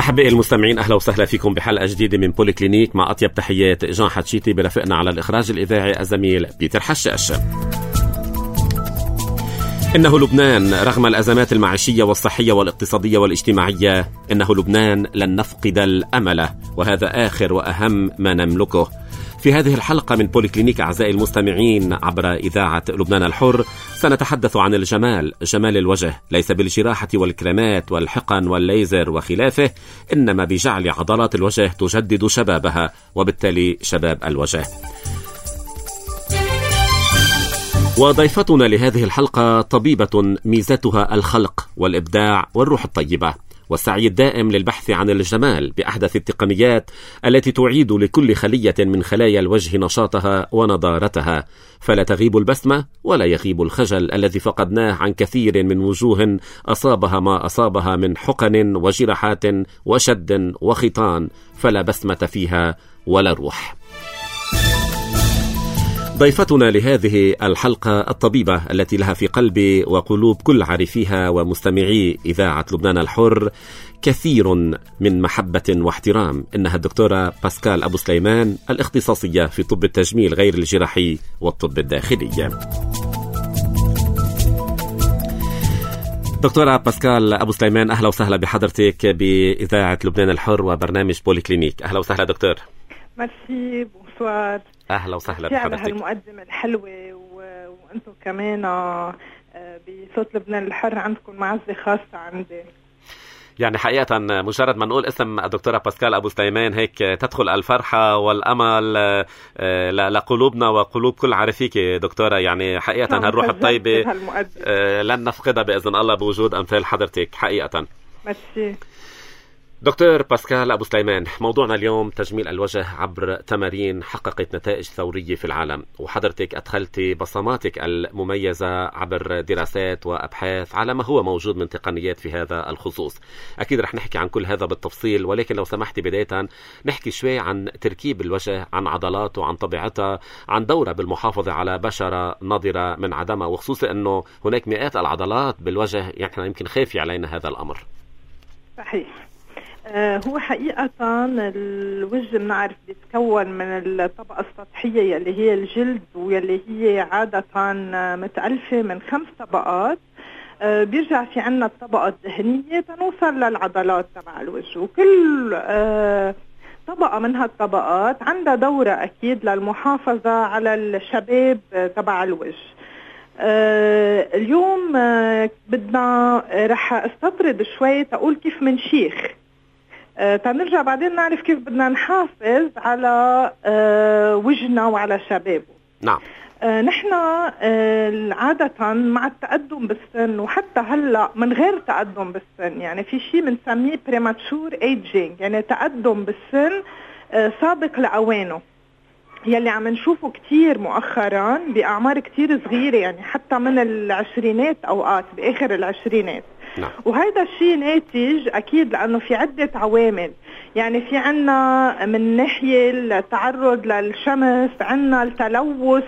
أحبائي المستمعين، أهلا وسهلا فيكم بحلقة جديدة من بولي كلينيك، مع أطيب تحيات جان حتشيتي، برفقنا على الإخراج الإذاعي الزميل بيتر حشاش. إنه لبنان رغم الأزمات المعيشية والصحية والاقتصادية والاجتماعية، إنه لبنان لن نفقد الأمل، وهذا آخر وأهم ما نملكه. في هذه الحلقة من بولي كلينيك أعزائي المستمعين عبر إذاعة لبنان الحر، سنتحدث عن الجمال، جمال الوجه، ليس بالجراحة والكريمات والحقن والليزر وخلافه، إنما بجعل عضلات الوجه تجدد شبابها، وبالتالي شباب الوجه. وضيفتنا لهذه الحلقة طبيبة ميزتها الخلق والإبداع والروح الطيبة، والسعي الدائم للبحث عن الجمال بأحدث التقنيات التي تعيد لكل خلية من خلايا الوجه نشاطها ونضارتها، فلا تغيب البسمة ولا يغيب الخجل الذي فقدناه عن كثير من وجوه أصابها ما أصابها من حقن وجراحات وشد وخيطان، فلا بسمة فيها ولا روح. ضيفتنا لهذه الحلقة الطبيبة التي لها في قلب وقلوب كل عارفيها ومستمعي إذاعة لبنان الحر كثير من محبة واحترام، إنها الدكتورة باسكال أبو سليمان، الاختصاصية في طب التجميل غير الجراحي والطب الداخلي. دكتورة باسكال أبو سليمان، أهلا وسهلا بحضرتك بإذاعة لبنان الحر وبرنامج بولي كلينيك. أهلا وسهلا دكتور. ميرسي، بونسوار. أهلا وسهلا بحضرتك على هالمقدمة الحلوة، وأنتم كمان بصوت لبنان الحر عندكم معزة خاصة عندي. يعني حقيقة مجرد ما نقول اسم الدكتورة باسكال أبو سليمان هيك تدخل الفرحة والأمل لقلوبنا وقلوب كل عارفيك دكتورة. يعني حقيقة هالروح الطيبة لن نفقدها بإذن الله بوجود أمثال حضرتك حقيقة. ميرسي. دكتور باسكال أبو سليمان، موضوعنا اليوم تجميل الوجه عبر تمارين حققت نتائج ثورية في العالم، وحضرتك أدخلت بصماتك المميزة عبر دراسات وأبحاث على ما هو موجود من تقنيات في هذا الخصوص. أكيد رح نحكي عن كل هذا بالتفصيل، ولكن لو سمحتي بداية نحكي شوي عن تركيب الوجه، عن عضلاته، عن طبيعتها، عن دورها بالمحافظة على بشرة نضرة من عدمها، وخصوصا أنه هناك مئات العضلات بالوجه، يعني يمكن خافي علينا هذا الأمر. صحيح. هو حقيقة الوجه بنعرف بيتكون من الطبقة السطحية يلي هي الجلد، ويلي هي عادة متألفة من 5 طبقات. بيرجع في عنا الطبقة الدهنية تنوصل للعضلات تبع الوجه، وكل طبقة من هالطبقات عندها دورة أكيد للمحافظة على الشباب تبع الوجه. اليوم بدنا رح استطرد شوي تقول كيف منشيخ، تنرجع بعدين نعرف كيف بدنا نحافظ على وجهنا وعلى شبابه. نعم. نحن عادة مع التقدم بالسن، وحتى هلأ من غير تقدم بالسن، يعني في شيء بنسميه premature aging، يعني تقدم بالسن سابق لأوانه، يلي عم نشوفه كتير مؤخرا بأعمار كتير صغيرة، يعني حتى من العشرينات أوقات بآخر العشرينات. نعم. وهذا الشيء ناتج أكيد لأنه في عدة عوامل، يعني في عنا من ناحية التعرض للشمس، عنا التلوث،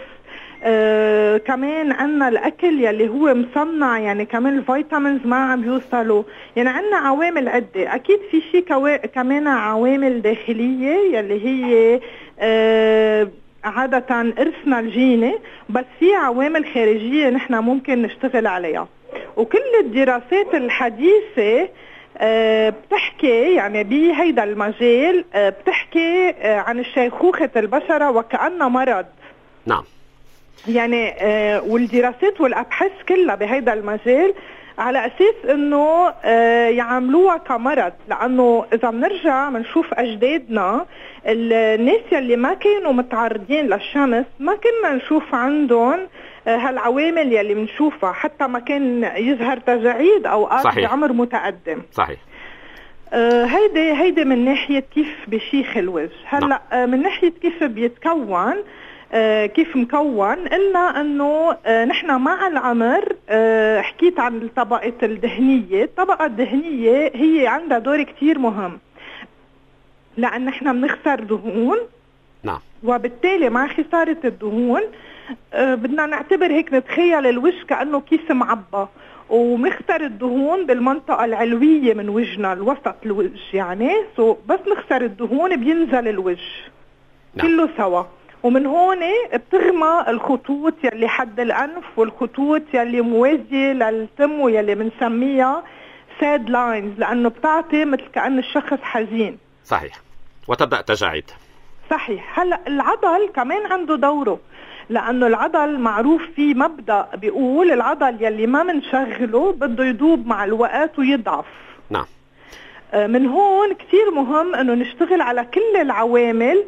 كمان عنا الأكل يلي هو مصنع، يعني كمان الفيتامينز ما عم يوصلوا، يعني عنا عوامل عدة. أكيد في شيء كمان عوامل داخلية يلي هي عادة إرثنا الجيني، بس في عوامل خارجية نحن ممكن نشتغل عليها. وكل الدراسات الحديثة بتحكي يعني بهيدا المجال بتحكي عن شيخوخة البشرة وكأنها مرض. نعم. يعني والدراسات والأبحاث كلها بهيدا المجال على أساس إنه يعملوها كمرض، لأنه إذا بنرجع بنشوف أجدادنا الناس يلي ما كانوا متعرضين للشمس ما كنا نشوف عندهم هالعوامل يلي بنشوفها، حتى ما كان يظهر تجاعيد أوقات بعمر متقدم. صحيح. هيدي من ناحية كيف بشيخ الوجه. هلأ من ناحية كيف بيتكون، كيف مكون، قلنا انه نحن مع العمر حكيت عن الطبقة الدهنية. الطبقة الدهنية هي عندها دور كتير مهم، لأن نحن بنخسر دهون. نعم. وبالتالي مع خسارة الدهون بدنا نعتبر هيك، نتخيل الوجه كأنه كيس معبى، ومختار الدهون بالمنطقة العلوية من وجهنا، الوسط الوجه يعني. بس نخسر الدهون بينزل الوجه كله سوا، ومن هون بتغمى الخطوط يلي حد الأنف والخطوط يلي موازية للتم ويلي بنسميها ساد لاينز، لأنه بتعطي مثل كأن الشخص حزين. صحيح. وتبدأ تجاعيد. صحيح. هلأ العضل كمان عنده دوره، لأنه العضل معروف فيه مبدأ بيقول العضل يلي ما منشغله بده يدوب مع الوقت ويضعف. نعم. من هون كتير مهم أنه نشتغل على كل العوامل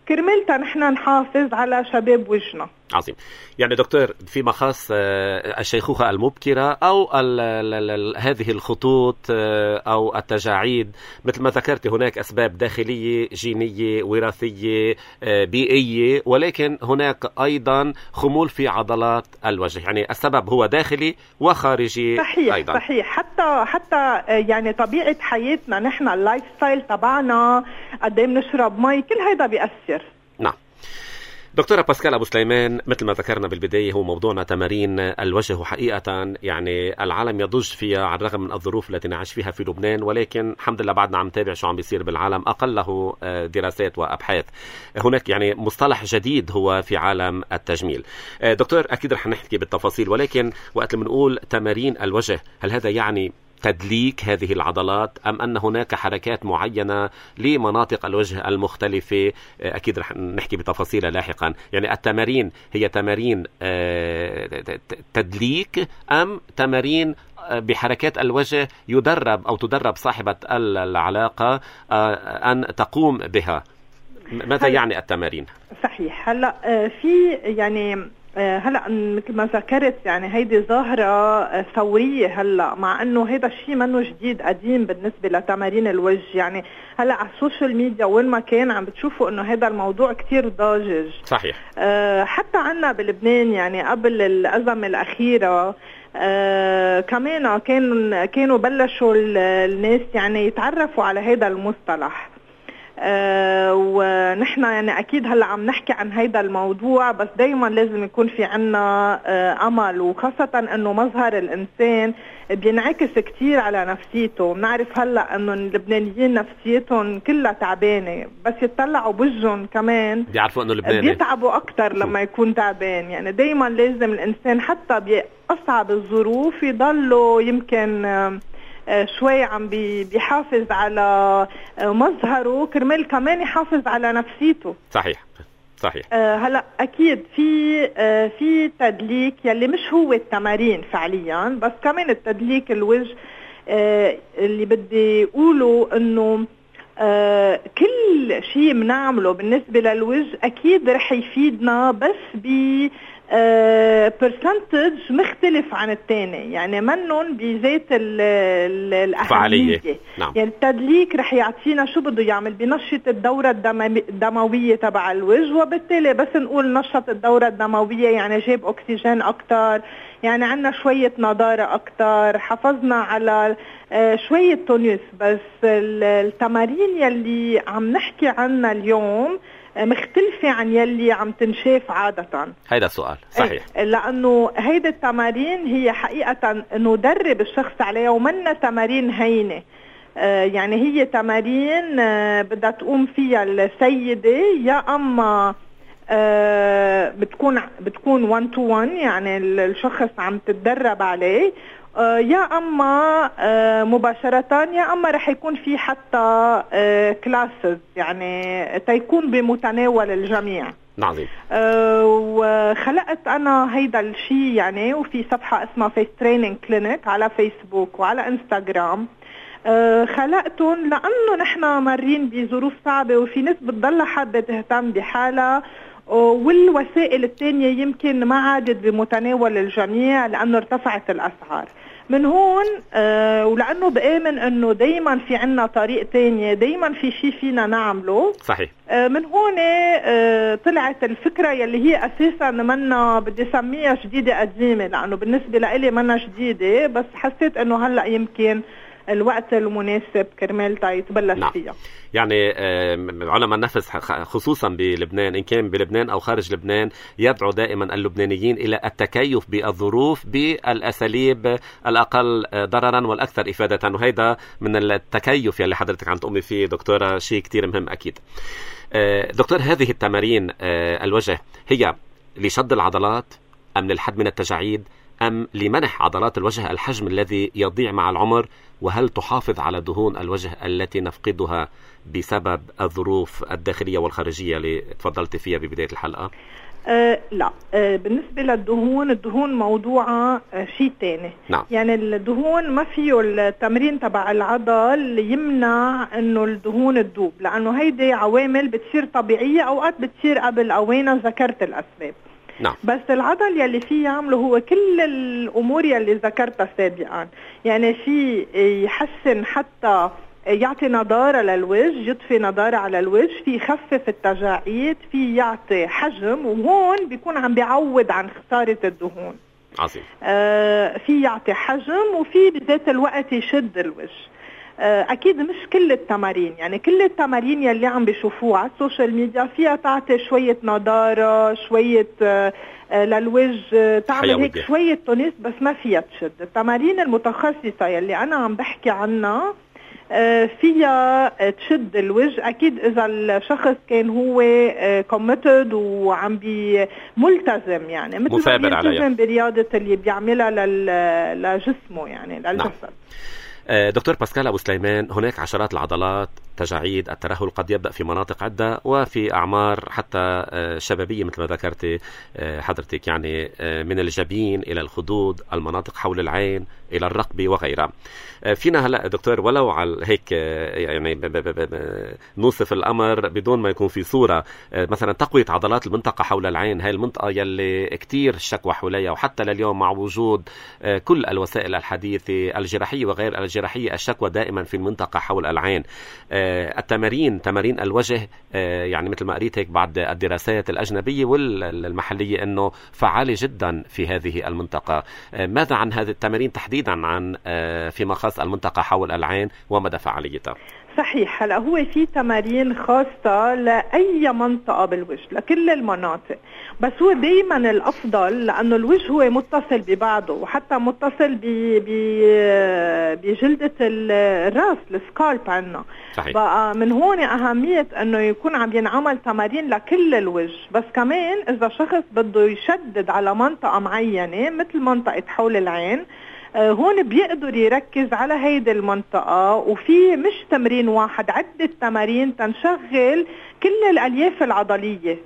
كرمالتا نحن نحافظ على شباب وجهنا. عظيم. يعني دكتور، فيما خاص الشيخوخة المبكرة أو هذه الخطوط أو التجاعيد، مثل ما ذكرت هناك أسباب داخلية جينية وراثية بيئية، ولكن هناك أيضا خمول في عضلات الوجه، يعني السبب هو داخلي وخارجي. صحيح. أيضا. صحيح. حتى يعني طبيعة حياتنا نحن، اللايف ستايل تبعنا، قد ايه بنشرب مي، كل هيدا بيأثر. نعم. دكتورة باسكال أبو سليمان، مثل ما ذكرنا بالبداية هو موضوعنا تمارين الوجه، وحقيقة يعني العالم يضج فيها على الرغم من الظروف التي نعيش فيها في لبنان، ولكن الحمد لله بعدنا عم نتابع شو عم بيصير بالعالم، أقله دراسات وأبحاث. هناك يعني مصطلح جديد هو في عالم التجميل. دكتور، أكيد رح نحكي بالتفاصيل، ولكن وقت لما نقول تمارين الوجه، هل هذا يعني تدليك هذه العضلات أم أن هناك حركات معينة لمناطق الوجه المختلفة؟ أكيد رح نحكي بتفاصيلها لاحقا. يعني التمارين هي تمارين تدليك أم تمارين بحركات الوجه يدرب أو تدرب صاحبة العلاقة أن تقوم بها؟ ماذا يعني التمارين؟ صحيح. هلأ في يعني هلأ مثل ما ذكرت يعني هيدي ظاهرة ثورية هلأ، مع انه هيدا الشيء منه جديد، قديم بالنسبة لتمارين الوجه. يعني هلأ على السوشيال ميديا وين ما كان عم بتشوفوا انه هيدا الموضوع كتير ضاجج. صحيح. حتى عنا بلبنان يعني قبل الأزمة الأخيرة كمان كانوا بلشوا الناس يعني يتعرفوا على هيدا المصطلح. ونحن يعني أكيد هلأ عم نحكي عن هيدا الموضوع، بس دايما لازم يكون في عنا أمل، وخاصة أنه مظهر الإنسان بينعكس كتير على نفسيته. بنعرف هلأ أنه اللبنانيين نفسيتهم كلها تعبانة، بس يتطلعوا بوجهن كمان بيعرفوا أنه لبناني بيتعبوا أكتر لما يكون تعبان. يعني دايما لازم الإنسان حتى بأصعب الظروف يضله يمكن شوي عم بيحافظ على مظهره كرمال كمان يحافظ على نفسيته. صحيح. صحيح. هلا اكيد في تدليك يلي مش هو التمارين فعليا، بس كمان التدليك الوجه اللي بدي اقوله انه كل شيء بنعمله بالنسبة للوجه اكيد رح يفيدنا، بس ب برسنتج مختلف عن الثاني، يعني منن بذات الأهمية. نعم. يعني التدليك رح يعطينا شو بده يعمل، بنشط الدورة الدموية تبع الوجه، وبالتالي بس نقول نشط الدورة الدموية يعني جاب أكسجين أكتر، يعني عنا شوية نضارة أكتر، حافظنا على شوية تونس. بس التمارين يلي عم نحكي عنها اليوم مختلفة عن يلي عم تنشاف عادة. هيدا السؤال. صحيح. لأنه هيدا التمارين هي حقيقة ندرب الشخص عليها، ومنا تمارين هينة. يعني هي تمارين بدها تقوم فيها السيدة، يا أما بتكون 1 to 1 يعني الشخص عم تتدرب عليه، يا أما مباشرة، يا أما رح يكون في حتى كلاسز يعني تيكون بمتناول الجميع. نعم. وخلقت أنا هيدا الشيء يعني، وفي صفحة اسمها فيس تريننج كلينيك على فيسبوك وعلى انستغرام. خلقتهم لأنه نحن مارين بظروف صعبة، وفي ناس بتضل حابة تهتم بحالها، والوسائل الثانية يمكن ما عادت بمتناول الجميع لأنه ارتفعت الأسعار. من هون ولأنه بآمن أنه دايما في عنا طريق تانية، دايما في شيء فينا نعمله. صحيح. من هون طلعت الفكرة يلي هي أساسا منا بدي سميها جديدة قديمة، لأنه بالنسبة لإلي منا جديدة، بس حسيت أنه هلأ يمكن الوقت المناسب كرمال يتبلش نعم. فيها. يعني علماء النفس خصوصا بلبنان، إن كان بلبنان أو خارج لبنان، يدعو دائما اللبنانيين إلى التكيف بالظروف بالأساليب الأقل ضررا والأكثر إفادة، وهذا من التكيف يلي حضرتك عم تقومي فيه دكتورة شيء كتير مهم أكيد. دكتور، هذه التمارين الوجه هي لشد العضلات أم للحد من التجاعيد أم لمنح عضلات الوجه الحجم الذي يضيع مع العمر؟ وهل تحافظ على دهون الوجه التي نفقدها بسبب الظروف الداخلية والخارجية اللي تفضلت فيها ببداية الحلقة؟ لا، بالنسبة للدهون، الدهون موضوعة شيء تاني. نعم. يعني الدهون ما فيه التمرين تبع العضل يمنع انه الدهون تدوب، لانه هيدي عوامل بتصير طبيعية، اوقات بتصير قبل اوانها، ذكرت الاسباب. نعم. بس العضل يلي فيه يعمله هو كل الامور يلي ذكرتها سابقا، يعني في يحسن، حتى يعطي نضارة للوجه، يضفي نضارة على الوجه، في يخفف التجاعيد، في يعطي حجم، وهون بيكون عم بيعوض عن خسارة الدهون. عظيم. في يعطي حجم، وفي بذات الوقت يشد الوجه. اكيد مش كل التمارين، يعني كل التمارين يلي عم بيشوفوها على السوشيال ميديا فيها تعطي شوية نضارة، شوية للوجه، تعمل هيك شوية تونس، بس ما فيها تشد. التمارين المتخصصة يلي انا عم بحكي عنها فيها تشد الوجه. اكيد اذا الشخص كان هو كوميتد وعم ملتزم، يعني مثل ما بيلتزم برياضة اللي بيعملها لجسمه، يعني للجسد. نعم. دكتور باسكال أبو سليمان، هناك عشرات العضلات، تجاعيد الترهل قد يبدأ في مناطق عدة وفي أعمار حتى شبابية مثل ما ذكرت حضرتك، يعني من الجبين إلى الخدود، المناطق حول العين إلى الرقبة وغيرها. فينا هلأ دكتور ولو على هيك يعني نوصف الأمر بدون ما يكون في صورة، مثلا تقوية عضلات المنطقة حول العين، هاي المنطقة يلي كتير الشكوى حوليها، وحتى لليوم مع وجود كل الوسائل الحديثة الجراحية وغير الجراحية الشكوى دائما في المنطقة حول العين. التمارين، تمارين الوجه، يعني مثل ما قريت هيك بعد الدراسات الأجنبية والمحلية أنه فعالة جدا في هذه المنطقة. ماذا عن هذه التمارين تحديدا عن فيما خاص المنطقة حول العين ومدى فعاليتها؟ صحيح. هلا هو في تمارين خاصة لأي منطقة بالوجه، لكل المناطق، بس هو دايما الأفضل لأنه الوجه هو متصل ببعضه، وحتى متصل بجلدة الرأس، السكالب عنا. صحيح. بقى من هون أهمية أنه يكون عم ينعمل تمارين لكل الوجه. بس كمان إذا شخص بده يشدد على منطقة معينة مثل منطقة حول العين، هون بيقدر يركز على هيدي المنطقة، وفي مش تمرين واحد، عدة تمارين تنشغل كل الألياف العضلية.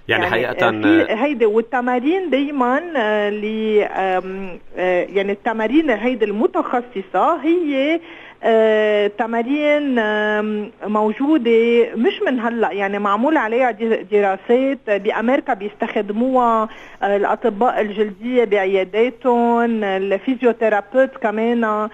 يعني حقيقة هيدي، والتمارين دايما يعني التمارين هيدي المتخصصة هي تمارين موجودة مش من هلأ، يعني معمول عليها دراسات بأمريكا، بيستخدموها الأطباء الجلدية بعياداتهم، الفيزيوثيرابيوت كمان،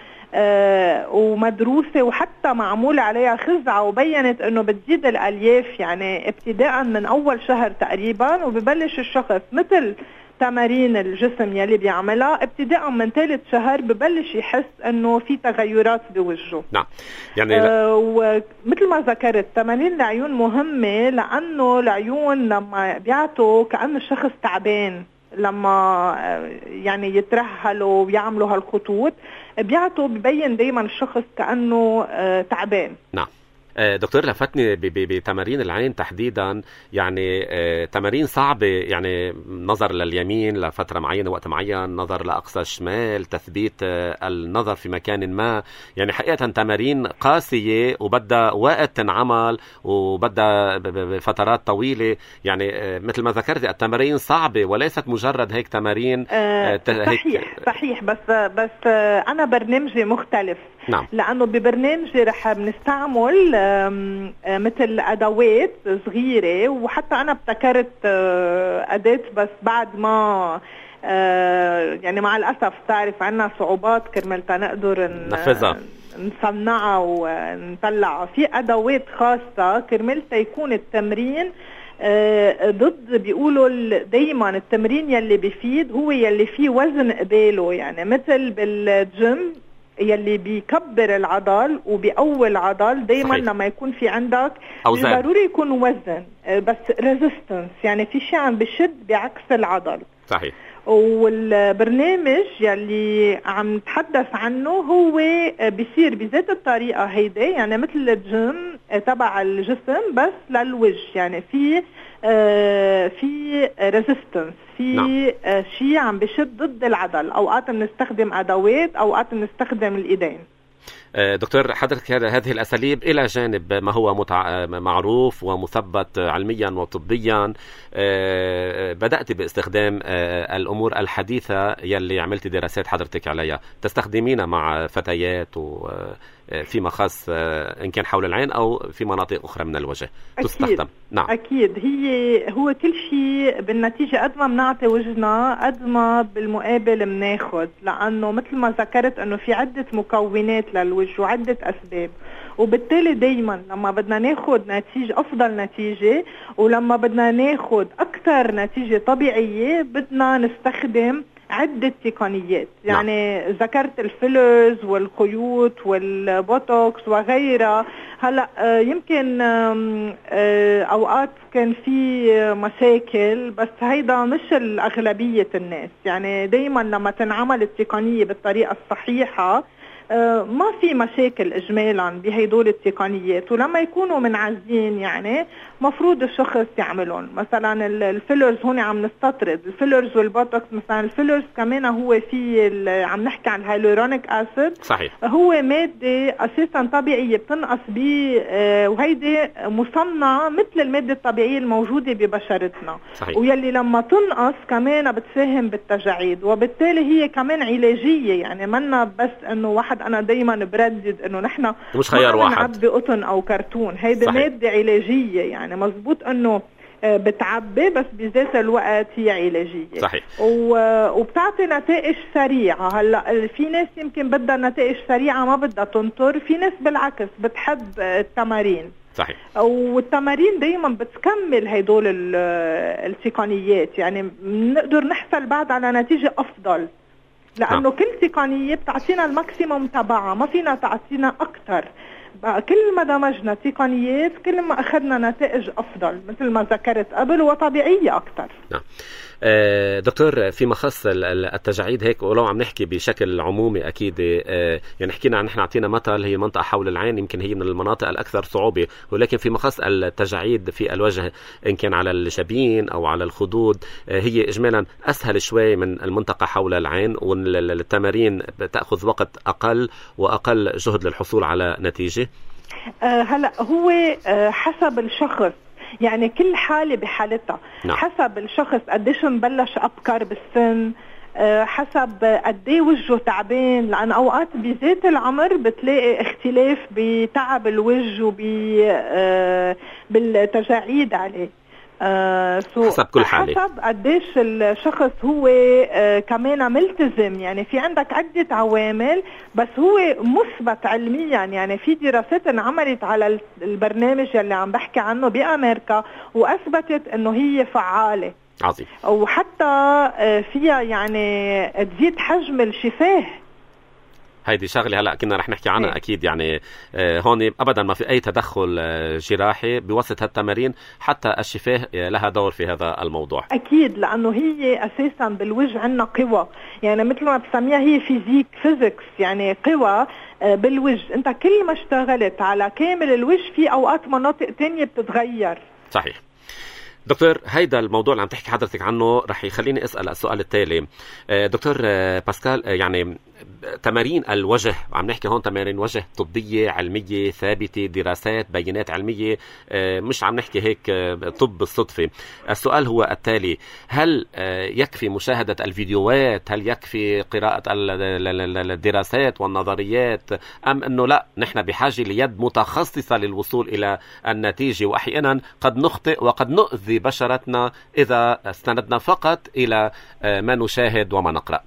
ومدروسة، وحتى معمول عليها خزعة وبينت انه بتزيد الالياف، يعني ابتداء من اول شهر تقريبا، وببلش الشخص مثل تمارين الجسم يلي بيعملها ابتداء من ثالث شهر ببلش يحس انه في تغيرات بوجهه. نعم. يعني ومثل ما ذكرت تمارين العيون مهمة، لانه العيون لما بيعطوا كأن الشخص تعبان، لما يعني يترهلوا ويعملوا هالخطوط بيعطوا، ببين دايما الشخص كأنه تعبان. نعم. دكتور، لفتني بتمارين العين تحديدا، يعني تمارين صعبة، يعني نظر لليمين لفترة معينة، وقت معين، نظر لأقصى الشمال، تثبيت النظر في مكان ما، يعني حقيقة تمارين قاسية وبدها وقت تنعمل وبدها فترات طويلة، يعني مثل ما ذكرت التمارين صعبة وليست مجرد هيك تمارين. صحيح. بس أنا برنامجي مختلف. نعم. لأنه ببرنامجي رح بنستعمل مثل أدوات صغيرة، وحتى أنا ابتكرت أداة، بس بعد ما يعني مع الأسف تعرف عنا صعوبات كرمال نقدر نصنعها ونطلعها. في أدوات خاصة كرمال يكون التمرين ضد، بيقولوا دايما التمرين يلي بيفيد هو يلي فيه وزن قباله، يعني مثل بالجيم يلي بيكبر العضل وبيقوي العضل. دايما صحيح. لما يكون في عندك أوزان. ضروري يكون وزن بس ريزيستنس، يعني في شيء عم بشد بعكس العضل. صحيح. والبرنامج يلي عم نتحدث عنه هو بيصير بذات الطريقة هيدي، يعني مثل الجيم تبع الجسم بس للوجه، يعني في ريزيستنس، في شيء عم بشد ضد العضل. اوقات بنستخدم ادوات، اوقات بنستخدم الايدين. دكتور، حضرتك هذه الأساليب إلى جانب ما هو معروف ومثبت علميا وطبيا، بدأت باستخدام الأمور الحديثة يلي عملت دراسات حضرتك عليها، تستخدمينها مع فتيات فيما خاص إن كان حول العين أو في مناطق أخرى من الوجه تستخدم. نعم أكيد. هو كل شيء بالنتيجة قد ما بنعطي وجهنا قد ما بالمقابل بناخد، لأنه مثل ما ذكرت أنه في عدة مكونات للوجه وعدة أسباب، وبالتالي دايما لما بدنا ناخد نتيجة أفضل نتيجة ولما بدنا ناخد أكثر نتيجة طبيعية بدنا نستخدم عدة تقنيات. يعني ذكرت الفيلرز والخيوط والبوتوكس وغيرها. هلأ يمكن أوقات كان في مشاكل، بس هيدا مش الأغلبية الناس. يعني دايما لما تنعمل التقنية بالطريقة الصحيحة ما في مشاكل إجمالا بهيدول التقنيات، ولما يكونوا منعزين يعني مفروض الشخص يعملون. مثلا الفيلرز هون عم نستطرد الفيلرز والبوتوكس. مثلا الفيلرز كمان هو في عم نحكي عن الهيلورونيك أسيد. صحيح. هو مادة أساسا طبيعية بتنقص وهيدي مصنعة مثل المادة الطبيعية الموجودة ببشرتنا. صحيح. ويلي لما تنقص كمان بتساهم بالتجاعيد، وبالتالي هي كمان علاجية. يعني منا بس انه واحد، انا دايما بردد انه نحن مش خيار واحد نعبي قطن او كرتون. هيدي مادة علاجية، يعني مزبوط انه بتعبي بس بذات الوقت هي علاجية. صحيح. وبتعطي نتائج سريعة. هلا في ناس يمكن بدها نتائج سريعة ما بدها تنطر، في ناس بالعكس بتحب التمارين. صحيح. والتمارين دايما بتكمل هيدول التقنيات، يعني بنقدر نحصل بعد على نتيجة أفضل، لأنه كل تقنية بتعطينا الماكسيموم تبعها، ما فينا تعطينا أكتر. كل ما دمجنا تقنيات كل ما أخذنا نتائج أفضل مثل ما ذكرت قبل وطبيعية أكتر. نعم. دكتور، فيما خص التجاعيد هيك، ولو عم نحكي بشكل عمومي أكيد، يعني حكينا نحن عطينا مثل هي منطقة حول العين، يمكن هي من المناطق الأكثر صعوبة، ولكن فيما خص التجاعيد في الوجه إن كان على الجبين أو على الخدود هي إجمالا أسهل شوي من المنطقة حول العين، والتمارين تأخذ وقت أقل وأقل جهد للحصول على نتيجة. هلأ هو حسب الشخص، يعني كل حالة بحالتها. نعم. حسب الشخص قديش مبلش أبكر بالسن، حسب قديه وجهه تعبان، لأن أوقات بذات العمر بتلاقي اختلاف بتعب الوجه وبالتجاعيد عليه. حسب كل حالة، حسب قديش الشخص هو كمان ملتزم. يعني في عندك عدة عوامل، بس هو مثبت علميا. يعني في دراسات انعملت على البرنامج اللي عم بحكي عنه بأمريكا وأثبتت انه هي فعالة. عظيم. وحتى فيها يعني تزيد حجم الشفاه. هيدي شغلة هلأ كنا رح نحكي عنها أكيد. يعني هون أبدا ما في أي تدخل جراحي بوسط هالتمارين، حتى الشفاه لها دور في هذا الموضوع. أكيد، لأنه هي أساسا بالوجه عنا قوة، يعني مثل ما بسميها هي فيزيكس، يعني قوة بالوجه. أنت كل ما اشتغلت على كامل الوجه في أوقات مناطق تانية بتتغير. صحيح. دكتور، هيدا الموضوع اللي عم تحكي حضرتك عنه رح يخليني أسأل السؤال التالي. دكتور باسكال، يعني تمارين الوجه، عم نحكي هون تمارين وجه طبية علمية ثابتة، دراسات بيانات علمية، مش عم نحكي هيك طب بالصدفة. السؤال هو التالي: هل يكفي مشاهدة الفيديوهات؟ هل يكفي قراءة الدراسات والنظريات؟ أم أنه لا، نحن بحاجة ليد متخصصة للوصول إلى النتيجة، وأحيانا قد نخطئ وقد نؤذي بشرتنا إذا استندنا فقط إلى ما نشاهد وما نقرأ؟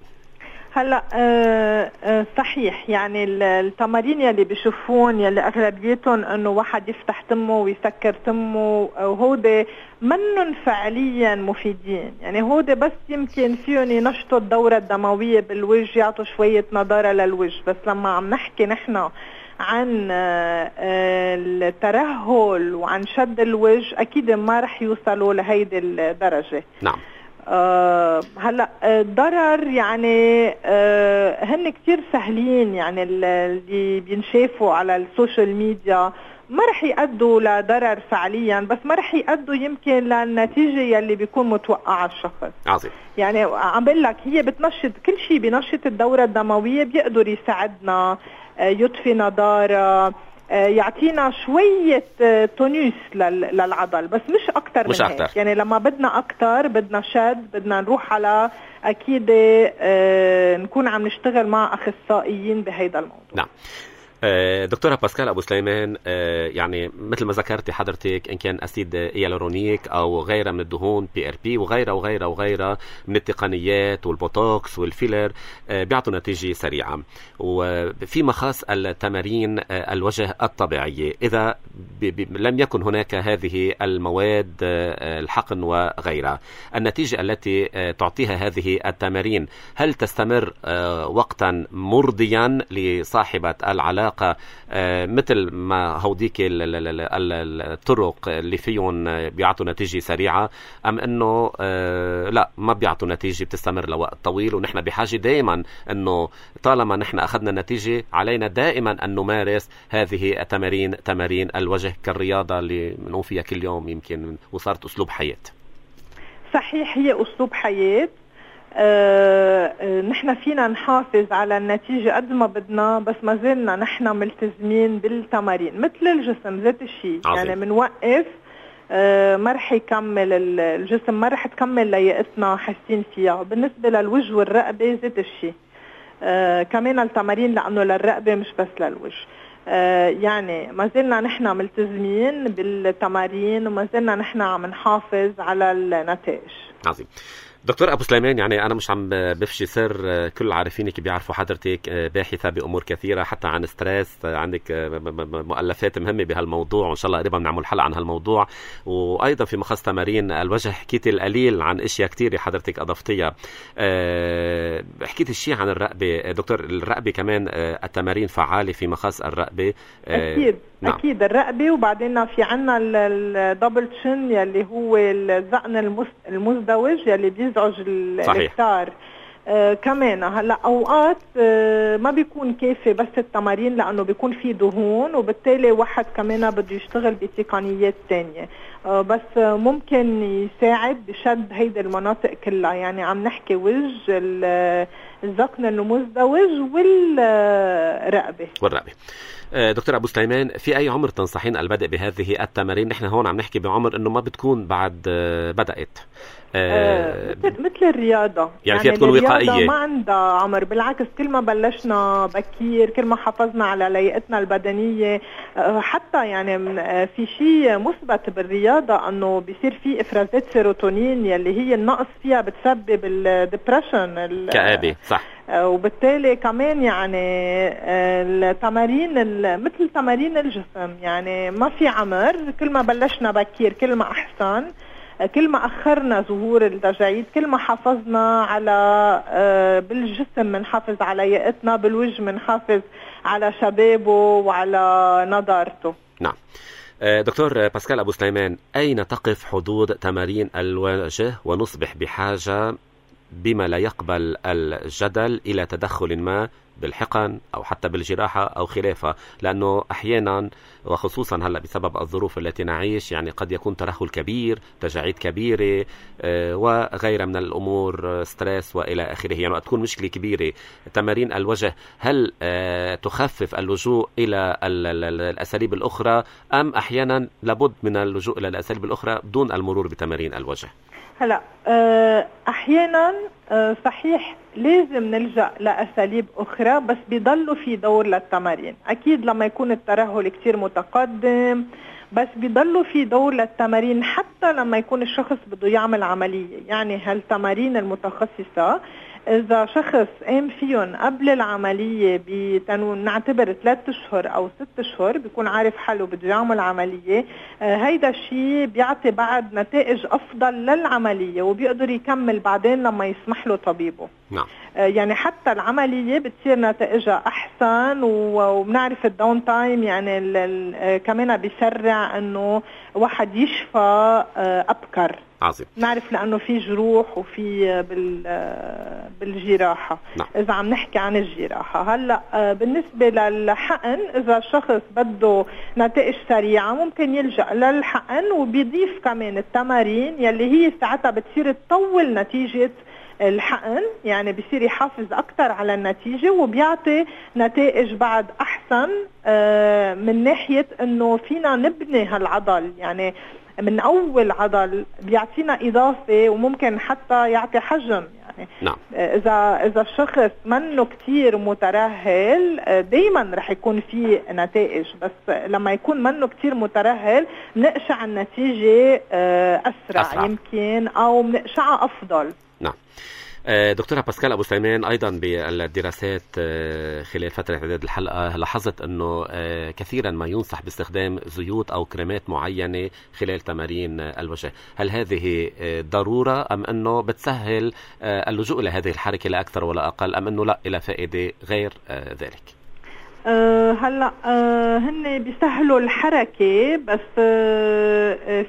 هلا صحيح، يعني التمارين يلي بيشوفون يلي اغلبيتهم انه واحد يفتح تمه ويسكر تمه، وهودي منن فعليا مفيدين. يعني هودي بس يمكن فيهم ينشطوا الدورة الدموية بالوجه، يعطوا شوية نضارة للوجه. بس لما عم نحكي نحن عن الترهل وعن شد الوجه اكيد ما رح يوصلوا لهيدي الدرجة. نعم. هلا الضرر يعني هن كتير سهلين، يعني اللي بينشافوا على السوشيال ميديا ما رح يؤدوا لضرر فعليا، بس ما رح يؤدوا يمكن للنتيجة يلي بيكون متوقع الشخص. عظيم. يعني عم بقول لك هي بتنشط كل شيء، بنشط الدورة الدموية، بيقدر يساعدنا، يطفي نضارة، يعطينا شوية تونيس للعضل، بس مش أكتر من هيك. يعني لما بدنا أكتر بدنا شد، بدنا نروح على أكيد نكون عم نشتغل مع أخصائيين بهيدا الموضوع. نعم. دكتورة باسكال أبو سليمان، يعني مثل ما ذكرتي حضرتك إن كان أسيد هيالورونيك أو غيرها من الدهون PRP وغيرها من التقنيات والبوتوكس والفيلر بيعطوا نتيجة سريعة. وفي مخاص التمارين الوجه الطبيعية إذا لم يكن هناك هذه المواد الحقن وغيرها، النتيجة التي تعطيها هذه التمارين هل تستمر وقتا مرضيا لصاحبة العلاقة مثل ما هوديك الطرق اللي فيهم بيعطوا نتيجة سريعة، أم أنه لا ما بيعطوا نتيجة بتستمر لوقت طويل؟ ونحن بحاجة دائما أنه طالما نحن أخذنا النتيجة علينا دائما أن نمارس هذه التمارين، تمارين الوجه كالرياضة اللي بنقوم فيها كل يوم يمكن وصارت أسلوب حياة. صحيح، هي أسلوب حياة. نحن فينا نحافظ على النتيجة قد ما بدنا، بس ما زلنا نحن ملتزمين بالتمارين مثل الجسم ذات الشيء. يعني منوقف ما رح يكمل الجسم، ما رح تكمل لياقتنا حاسين فيها. بالنسبة للوجه والرقبة ذات الشيء، كمان التمارين لأنه للرقبة مش بس للوجه. يعني ما زلنا نحن ملتزمين بالتمارين وما زلنا نحن عم نحافظ على النتائج. عظيم. دكتور أبو سليمان، يعني أنا مش عم بفشي سر، كل عارفينك بيعرفوا حضرتك باحثة بأمور كثيرة حتى عن ستريس، عندك مؤلفات مهمة بهالموضوع وإن شاء الله قريبا بنعمل حلقة عن هالموضوع. وأيضا في مخص تمارين الوجه حكيتي القليل عن أشياء كثيرة حضرتك أضفتيها. حكيتي الشيء عن الرقبة دكتور، الرقبة كمان التمارين فعالة في مخص الرقبة. أكيد. نعم. أكيد الرقبة، وبعدين في عنا الدبل تشن يلي هو الزقن المزدوج يلي بيزعج الكتار. كمان هلا اوقات ما بيكون كافي بس التمارين لانه بيكون في دهون، وبالتالي واحد كمان بده يشتغل بتقنيات تانية، بس ممكن يساعد بشد هيدا المناطق كلها. يعني عم نحكي وجه، الذقن المزدوج والرقبة. دكتور أبو سليمان، في أي عمر تنصحين البدء بهذه التمارين؟ نحن هون عم نحكي بعمر إنه ما بتكون بعد بدأت مثل الرياضة، يعني فيها تكون وقائية، ما عندها عمر. بالعكس، كل ما بلشنا بكير كل ما حافظنا على لياقتنا البدنية. حتى يعني في شيء مثبت بالرياضة أنه بيصير في إفرازات سيروتونين يلي هي النقص فيها بتسبب الدبريشن، كآبة. صح. وبالتالي كمان يعني التمارين مثل تمارين الجسم، يعني ما في عمر. كل ما بلشنا بكير كل ما أحسن، كل ما أخرنا ظهور التجاعيد كل ما حافظنا على بالجسم منحافظ على لياقتنا، بالوجه منحافظ على شبابه وعلى نضارته. نعم. دكتور باسكال أبو سليمان، أين تقف حدود تمارين الوجه ونصبح بحاجة بما لا يقبل الجدل إلى تدخل ما بالحقن أو حتى بالجراحة أو خلافها؟ لأنه أحيانا وخصوصا هلأ بسبب الظروف التي نعيش يعني قد يكون ترهل كبير، تجاعيد كبيرة وغيرها من الأمور، ستريس وإلى آخره. يعني وقت تكون مشكلة كبيرة تمارين الوجه هل تخفف اللجوء إلى الأساليب الأخرى، أم أحيانا لابد من اللجوء إلى الأساليب الأخرى دون المرور بتمارين الوجه؟ هلا أحيانا صحيح لازم نلجأ لأساليب أخرى، بس بيضلوا في دور للتمارين. أكيد لما يكون الترهل كتير متقدم، بس بيضلوا في دور للتمارين حتى لما يكون الشخص بده يعمل عملية. يعني هالتمارين المتخصصة إذا شخص قام فيهم قبل العملية نعتبر 3 أشهر أو 6 أشهر بيكون عارف حاله بده يعمل عملية، هيدا الشيء بيعطي بعد نتائج أفضل للعملية وبيقدر يكمل بعدين لما يسمح له طبيبه. نعم. يعني حتى العملية بتصير نتائجها أحسن، وبنعرف الداون تايم يعني كمان بيسرع إنه واحد يشفى أبكر. عظيم. نعرف لأنه في جروح وفي بالجراحة. نعم. إذا عم نحكي عن الجراحة هلأ بالنسبة للحقن، إذا الشخص بده نتائج سريعة ممكن يلجأ للحقن، وبيضيف كمان التمارين يلي هي ساعتها بتصير تطول نتيجة الحقن، يعني بيصير يحافظ أكتر على النتيجة وبيعطي نتائج بعد أحسن من ناحية إنه فينا نبني هالعضل، يعني من أول عضل بيعطينا إضافة وممكن حتى يعطي حجم. يعني نعم. إذا الشخص منه كتير مترهل دايما رح يكون فيه نتائج، بس لما يكون منه كتير مترهل نقشع النتيجة أسرع يمكن، أو نقشعها أفضل. نعم. دكتورة باسكال أبو سليمان، أيضا بالدراسات خلال فترة إعداد الحلقة لاحظت أنه كثيرا ما ينصح باستخدام زيوت أو كريمات معينة خلال تمارين الوجه. هل هذه ضرورة أم أنه بتسهل اللجوء إلى هذه الحركة لا أكثر ولا أقل، أم أنه لا إلى فائدة غير ذلك؟ هلا هن بيسهلوا الحركة، بس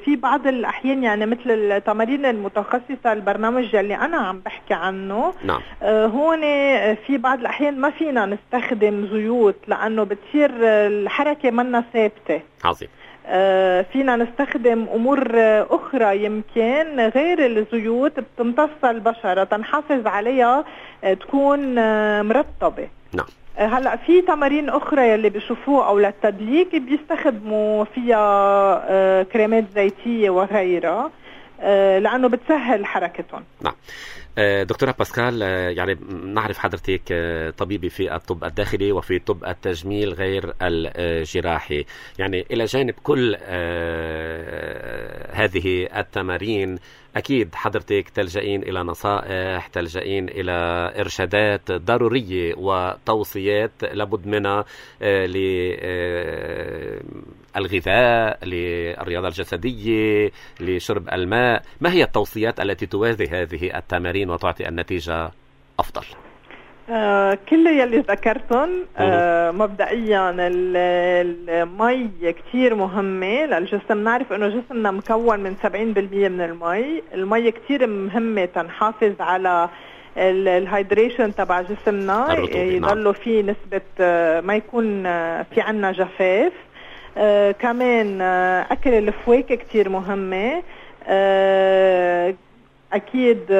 في بعض الأحيان يعني مثل التمارين المتخصصة البرنامج اللي أنا عم بحكي عنه. نعم. هون في بعض الأحيان ما فينا نستخدم زيوت لأنه بتصير الحركة منا ثابتة. عظيم. فينا نستخدم أمور أخرى يمكن غير الزيوت بتمتص البشرة تنحافظ عليها تكون مرطبة. نعم. هلأ في تمارين أخرى يلي بيشوفوه أو للتدليك بيستخدموا فيها كريمات زيتية وغيرها لأنه بتسهل حركتهم. نعم. دكتورة باسكال، يعني نعرف حضرتك طبيبة في الطب الداخلي وفي طب التجميل غير الجراحي، يعني إلى جانب كل هذه التمارين أكيد حضرتك تلجئين إلى نصائح، تلجئين إلى إرشادات ضرورية وتوصيات لابد منها للغذاء، للرياضة الجسدية، لشرب الماء. ما هي التوصيات التي توازي هذه التمارين وتعطي النتيجة أفضل؟ كل يلي ذكرتهم. مبدئيا المي كتير مهمة للجسم. نعرف انه جسمنا مكون من 70% من المي. المي كتير مهمة تنحافظ على الهيدريشن تبع جسمنا، يضلوا فيه نسبة ما يكون في عنا جفاف. كمان أكل الفواكه كتير مهمة. أكيد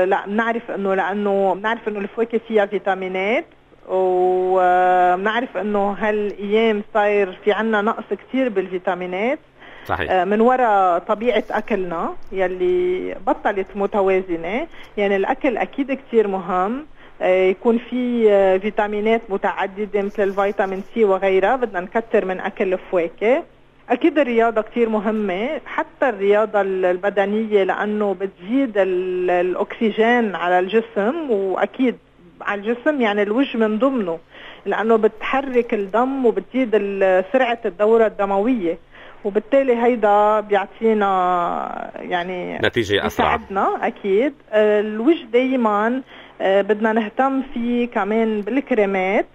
لا بنعرف إنه لأنه بنعرف إنه الفواكه فيها فيتامينات، وبنعرف إنه هالأيام صاير في عنا نقص كتير بالفيتامينات. صحيح. من وراء طبيعة أكلنا يلي بطلت متوازنة. يعني الأكل أكيد كتير مهم، يكون في فيتامينات متعددة مثل الفيتامين سي وغيرها. بدنا نكتر من أكل الفواكه. أكيد الرياضة كتير مهمة، حتى الرياضة البدنية لأنه بتزيد الأكسجين على الجسم، وأكيد على الجسم يعني الوجه من ضمنه، لأنه بتحرك الدم وبتزيد سرعة الدورة الدموية، وبالتالي هيدا بيعطينا يعني نتيجة أسرع. بيساعدنا. أكيد الوجه دايما بدنا نهتم فيه كمان بالكريمات.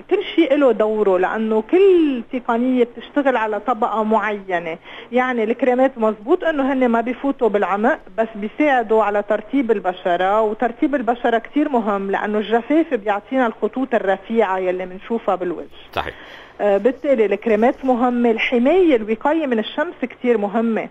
كل شيء له دوره، لأنه كل تقنية بتشتغل على طبقة معينة. يعني الكريمات مزبوط أنه هن ما بيفوتوا بالعمق، بس بيساعدوا على ترتيب البشرة، وترتيب البشرة كتير مهم لأنه الجفاف بيعطينا الخطوط الرفيعة يلي منشوفها بالوجه. صحيح. بالتالي الكريمات مهمة. الحماية الوقاية من الشمس كتير مهمة.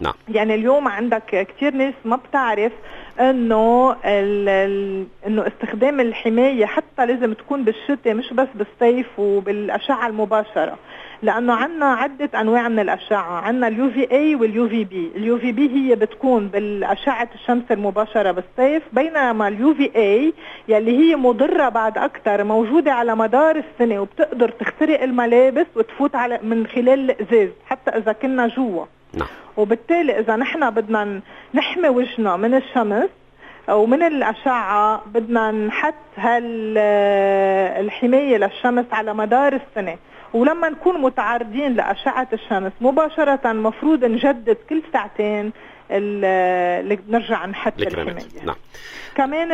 نعم. يعني اليوم عندك كتير ناس ما بتعرف انه انه استخدام الحماية حتى لازم تكون بالشتاء مش بس بالصيف وبالأشعة المباشرة، لأنه عنا عدة أنواع من الأشعة. عنا اليو في اي واليو في بي. اليو في بي هي بتكون بالأشعة الشمس المباشرة بالصيف، بينما اليو في اي يلي هي مضرة بعد أكتر موجودة على مدار السنة، وبتقدر تخترق الملابس وتفوت على من خلال الإزاز حتى إذا كنا جوا. نعم. وبالتالي إذا نحن بدنا نحمي وجهنا من الشمس ومن الأشعة بدنا نحط الحماية للشمس على مدار السنة. ولما نكون متعرضين لأشعة الشمس مباشرة مفروض نجدد كل ساعتين اللي نرجع نحط الحماية. نعم. كمان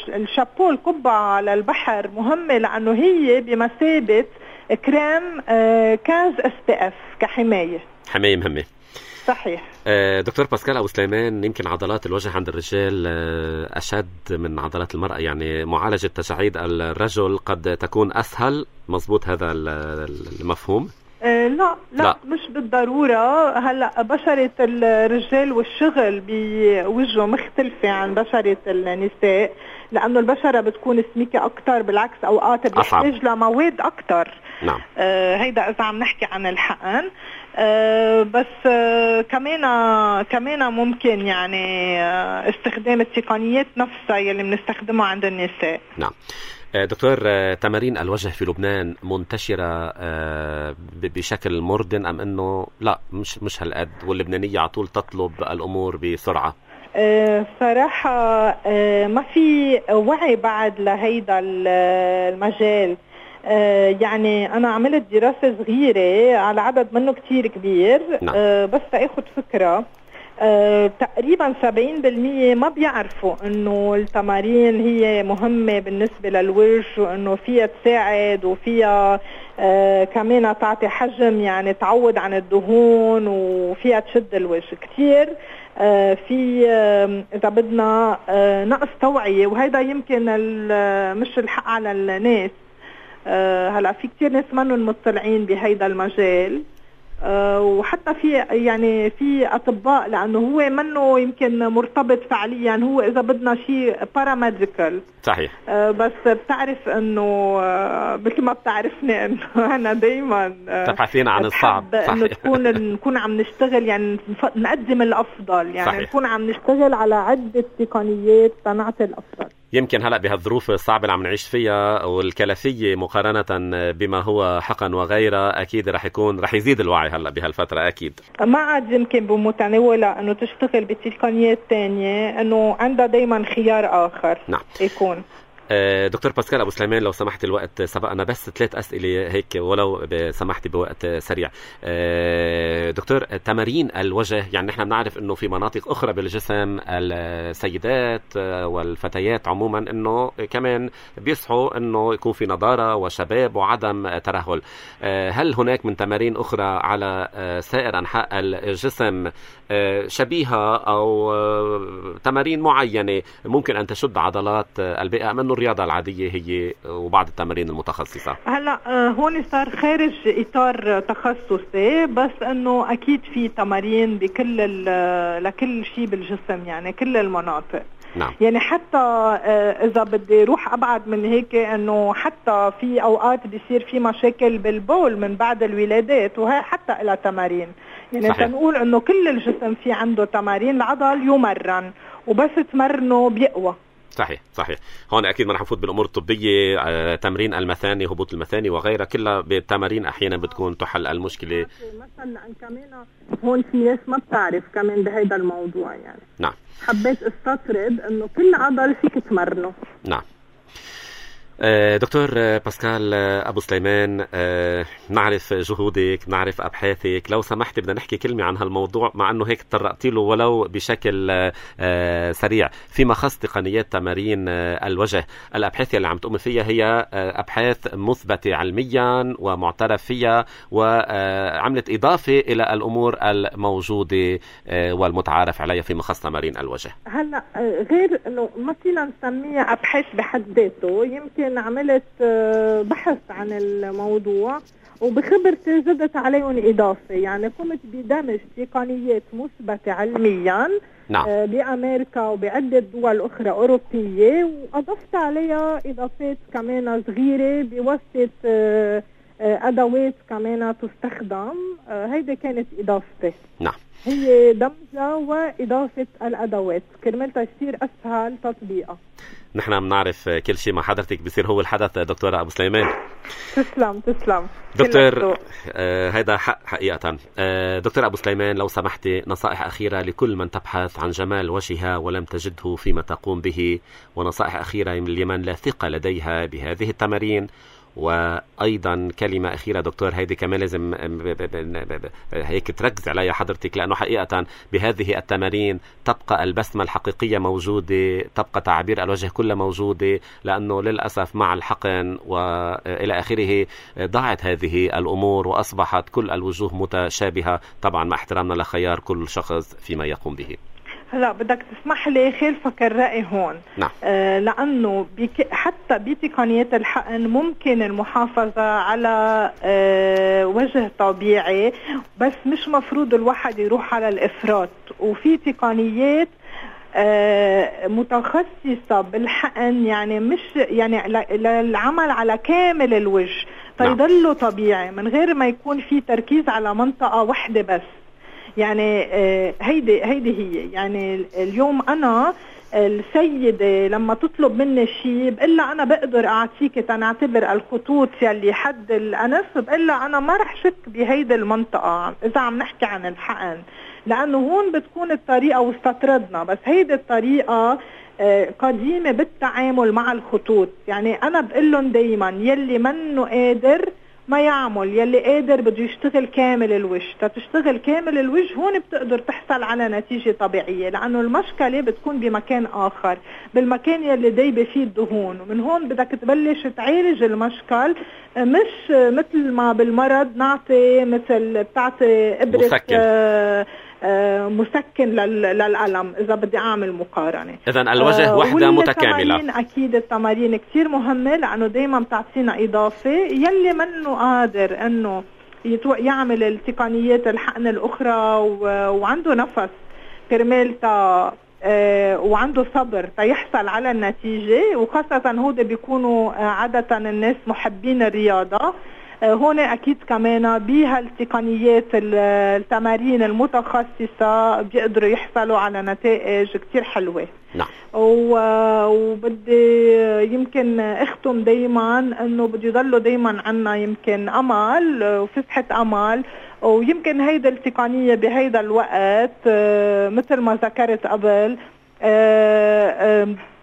الشابو القبعة على البحر مهمة لأنه هي بمثابة كريم كاز SPF كحماية. حماية مهمة. صحيح. دكتور باسكال أبو سليمان، يمكن عضلات الوجه عند الرجال أشد من عضلات المرأة، يعني معالجة تجاعيد الرجل قد تكون أسهل، مضبوط هذا المفهوم؟ لا مش بالضرورة. هلأ بشرة الرجال والشغل بوجهه مختلفة عن بشرة النساء، لأنه البشرة بتكون سميكة أكتر، بالعكس أوقات بيحتاج لمواد أكتر. نعم. هيدا إذا عم نحكي عن الحقن. بس كمان ممكن يعني استخدام التقنيات نفسها يلي بنستخدمها عند النساء. نعم. دكتور، تمارين الوجه في لبنان منتشرة بشكل مردن أم أنه لا مش هالقد، واللبنانية على طول تطلب الأمور بسرعة؟ صراحة ما في وعي بعد لهيدا المجال. يعني أنا عملت دراسة صغيرة على عدد منه كتير كبير. نعم. بس تأخذ فكرة، تقريبا 70% ما بيعرفوا انه التمارين هي مهمة بالنسبة للوجه، وانه فيها تساعد وفيها كمان تعطي حجم، يعني تعوض عن الدهون، وفيها تشد الوجه كتير. في اذا بدنا نقص توعية، وهذا يمكن مش الحق على الناس. هلا في كتير ناس منهم مطلعين بهيدا المجال، وحتى في أطباء، لأنه هو منه يمكن مرتبط فعليا، هو إذا بدنا شيء باراميديكال. صحيح. بس بتعرف إنه مثل ما بتعرفني إنه أنا دايما تبحثين عن الصعب. إنه نكون عم نشتغل، يعني نقدم الأفضل، يعني صحيح. نكون عم نشتغل على عدة تقنيات تنعطي الأفضل. يمكن هلأ بهالظروف الصعبة اللي عم نعيش فيها والكلفية مقارنة بما هو حقن وغيرها، أكيد رح يزيد الوعي هلأ بهالفترة. أكيد ما عاد يمكن بمتناولة أنه تشتغل بتقنيات تانية، أنه عندها دايما خيار آخر. نعم. يكون دكتور باسكال أبو سليمان، لو سمحت الوقت سبقنا، بس 3 أسئلة هيك ولو سمحتي بوقت سريع. دكتور، تمارين الوجه، يعني نحن بنعرف أنه في مناطق أخرى بالجسم السيدات والفتيات عموما أنه كمان بيصحوا أنه يكون في نضارة وشباب وعدم ترهل. هل هناك من تمارين أخرى على سائر أنحاء الجسم شبيهة أو تمارين معينة ممكن أن تشد عضلات البيئة، أم أنه الرياضة العادية هي وبعض التمارين المتخصصة؟ هلا هون صار خارج إطار تخصصي، بس أنه أكيد في تمارين لكل شيء بالجسم، يعني كل المناطق. نعم. يعني حتى إذا بدي روح أبعد من هيك، أنه حتى في أوقات بيصير في مشاكل بالبول من بعد الولادات، وهي حتى إلى تمارين. يعني تنقول أنه كل الجسم في عنده تمارين، العضل يمرن وبس تمرنه بيقوى. صحيح. هون أكيد ما رح نفوت بالأمور الطبية، تمرين المثاني، هبوط المثاني وغيرها، كلها بالتمارين أحيانا بتكون تحل المشكلة. مثلا كمان هون في ناس ما بتعرف كمان بهذا الموضوع، يعني نعم حبيت استطرد أنه كل عضل فيك تمرنه. نعم. دكتور باسكال أبو سليمان، نعرف جهودك، نعرف أبحاثك، لو سمحت بدنا نحكي كلمة عن هالموضوع، مع أنه هيك تطرقتي له ولو بشكل سريع، فيما خص تقنيات تمارين الوجه. الأبحاث اللي عم تقوم فيها هي أبحاث مثبتة علميا ومعترف فيها، وعملت إضافة إلى الأمور الموجودة والمتعارف عليها فيما خص تمارين الوجه. هلا غير أنه ما فينا نسميها أبحاث بحد ذاته، يمكن عملت بحث عن الموضوع وبخبرتي زدت عليهم إضافة، يعني قمت بدمج تقنيات مثبتة علميا. نعم. بأمريكا وبعدة دول أخرى أوروبية، وأضفت عليها إضافات كمان صغيرة بواسطة أدوات كمان تستخدم. هيدي كانت إضافتي. نعم. هي دمجة وإضافة الأدوات كرمال يصير أسهل تطبيقها. نحن بنعرف كل شيء مع حضرتك بيصير هو الحدث دكتورة أبو سليمان. تسلم دكتور. هيدا حقيقة. دكتور أبو سليمان، لو سمحتي نصائح أخيرة لكل من تبحث عن جمال وجهها ولم تجده فيما تقوم به، ونصائح أخيرة لمن لا ثقة لديها بهذه التمارين. وأيضا كلمة أخيرة دكتور، هيدي كمان لازم هيك تركز عليها حضرتك، لأنه حقيقة بهذه التمارين تبقى البسمة الحقيقية موجودة، تبقى تعبير الوجه كله موجودة، لأنه للأسف مع الحقن وإلى آخره ضاعت هذه الأمور وأصبحت كل الوجوه متشابهة، طبعا مع احترامنا لخيار كل شخص فيما يقوم به. هلا بدك تسمح لي خلفك الرأي هون. نعم. لأنه حتى بتقنيات الحقن ممكن المحافظة على وجه طبيعي، بس مش مفروض الواحد يروح على الإفراط. وفي تقنيات متخصصة بالحقن، يعني مش يعني للعمل على كامل الوجه تيضله طبيعي من غير ما يكون في تركيز على منطقة واحدة بس. يعني هيدي هي يعني اليوم أنا السيدة لما تطلب مني شيء بقلها أنا بقدر أعطيك تنعتبر الخطوط يلي حد الأنف، بقلها أنا ما رح شك بهيدي المنطقة إذا عم نحكي عن الحقن، لأنه هون بتكون الطريقة واستطردنا. بس هيدي الطريقة قديمة بالتعامل مع الخطوط. يعني أنا بقلهم دايما يلي منه قادر ما يعمل، يلي قادر بده يشتغل كامل الوجه. تشتغل كامل الوجه هون بتقدر تحصل على نتيجة طبيعية، لأنه المشكلة بتكون بمكان آخر، بالمكان يلي دايبة فيه الدهون. ومن هون بدك تبلش تعالج المشكل، مش مثل ما بالمرض نعطي مثل بتعطي إبرة مسكن للألم إذا بدي أعمل مقارنة. إذن الوجه وحدة متكاملة. أكيد التمارين كتير مهمة، لأنه دايما بتعطينا إضافة. يلي منه قادر أنه يعمل التقنيات الحقن الأخرى وعنده نفس كرمال وعنده صبر يحصل على النتيجة، وخاصة هود بيكونوا عادة الناس محبين الرياضة، هون أكيد كمان بهالتقنيات التمارين المتخصصة بيقدروا يحصلوا على نتائج كتير حلوة. نعم. وبدي يمكن اختم دايما انه بده يضلوا دايما عنا يمكن امل وفسحة امل، ويمكن هيدا التقنية بهيدا الوقت مثل ما ذكرت قبل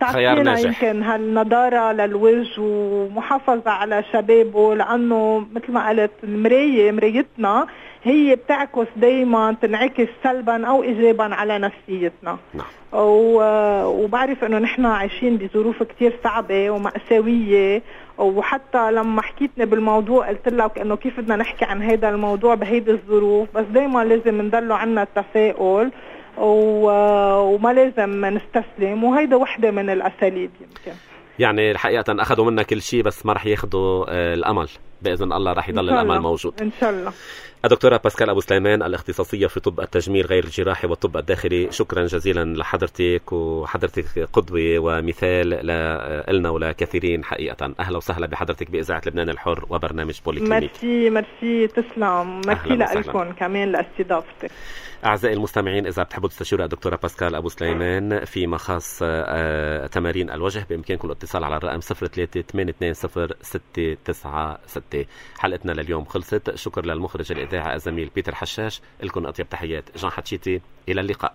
تعطينا يمكن هالنضارة للوجه ومحافظة على شبابه، لأنه مثل ما قلت مرايتنا هي بتعكس دايما، تنعكس سلبا أو إيجابا على نفسيتنا. نعم. وبعرف أنه نحن عايشين بظروف كتير صعبة ومأساوية، وحتى لما حكيتني بالموضوع قلت لك أنه كيف بدنا نحكي عن هذا الموضوع بهيدي الظروف، بس دايما لازم ندلوا عنا التفاؤل وما لازم نستسلم، وهيدا وحدة من الأساليب. يمكن يعني الحقيقة أخذوا منا كل شيء بس ما رح ياخدوا الأمل، بإذن الله رح يضل الأمل موجود إن شاء الله. الدكتورة باسكال أبو سليمان، الاختصاصية في طب التجميل غير الجراحي والطب الداخلي، شكرا جزيلا لحضرتك، وحضرتك قدوة ومثال لنا ولكثيرين حقيقة. أهلا وسهلا بحضرتك بإذاعة لبنان الحر وبرنامج بوليكلينيك. ميرسي تسلم، ميرسي لكم كمان لاستضافتك. أعزائي المستمعين، إذا بتحبوا تستشيروا الدكتورة باسكال أبو سليمان فيما خاص تمارين الوجه، بإمكانكم الاتصال على الرقم 03-820-696. حلقتنا لليوم خلصت. شكر للمخرج الإذاعة الزميل بيتر حشاش. لكم أطيب تحيات جان حتشيتي، إلى اللقاء.